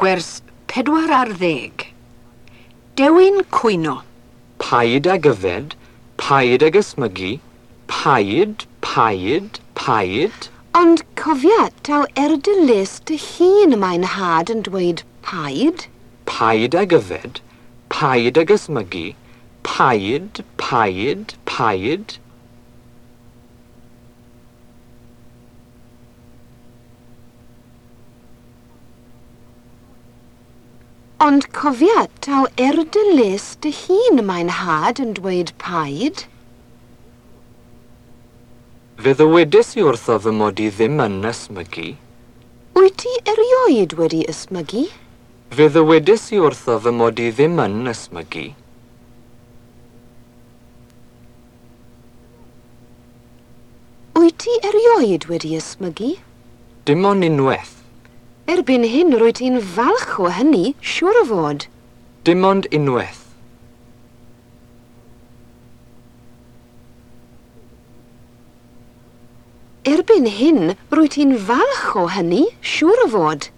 Gwers 14. Dewin cwyno. Paid ag yfed, paid ag ysmygu, paid, paid, paid. Ond cofia, taw er dy les dy hun y mae'n nhad yn dweud paid. Paid ag yfed, paid ag ysmygu, paid, paid, paid. Ond cofia, taw er dy les dy hun y mae'n nhad yn dweud paid. Fe ddywedes i wrtho fy mod i ddim yn ysmygu. Wyt ti erioed wedi ysmygu? Fe ddywedes i wrtho fy mod i ddim yn ysmygu. Wyt ti erioed wedi ysmygu? Dim ond unwaith. Erbyn hyn rwyt ti'n falch o hynny, siŵr o fod. Dim ond unwaith. Erbyn hyn rwyt ti'n falch o hynny, siŵr o fod.